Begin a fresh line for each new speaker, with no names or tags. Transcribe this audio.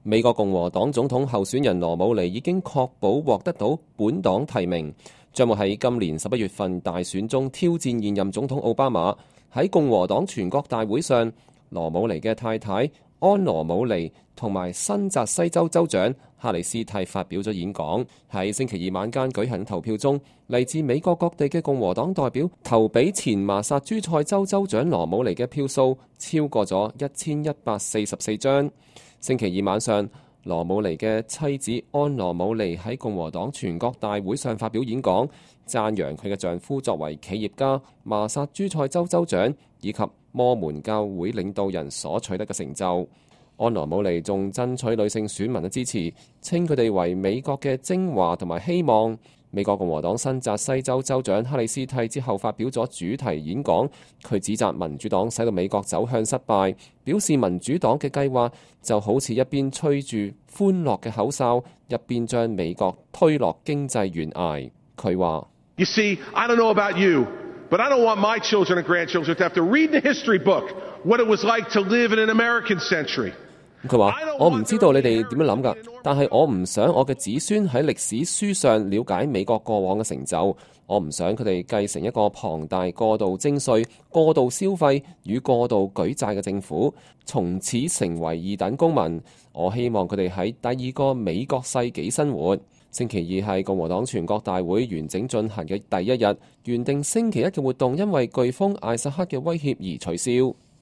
美國共和黨總統候選人羅姆尼已經確保獲得到本黨提名，將會喺今年11月份大選中挑戰現任總統奧巴馬。喺共和黨全國大會上，羅姆尼嘅太太安羅姆尼同埋新澤西州州長哈里斯蒂發表咗演講。喺星期二晚間舉行投票中，嚟自美國各地嘅共和黨代表投俾前麻薩諸塞州州長羅姆尼嘅票數超過咗1144張。星期二晚上，羅姆尼嘅妻子安羅姆尼喺共和黨全國大會上發表演講，讚揚佢嘅丈夫作為企業家、麻薩諸塞州州長以及摩門教會領導人所取得嘅成就。安羅姆尼仲爭取女性選民嘅支持，稱佢哋為美國嘅精華同埋希望。美國共和黨新澤西州州長哈里斯蒂之後發表咗主題演講，佢指責民主黨使到美國走向失敗，表示民主黨嘅計劃就好似一邊吹住歡樂嘅口哨，一邊將美國推落經濟懸崖。佢話
：You see, I don't know about you, but I don't want my children and grandchildren to have to read in the history book what it was like to live in an American century.
佢話：我唔知道你哋點樣諗㗎，但係我唔想我嘅子孫喺歷史書上了解美國過往嘅成就。我唔想佢哋繼承一個龐大、過度徵稅、過度消費與過度舉債嘅政府，從此成為二等公民。我希望佢哋喺第二個美國世紀生活。星期二係共和黨全國大會完整進行嘅第一日，原定星期一嘅活動因為颶風艾薩克嘅威脅而取消。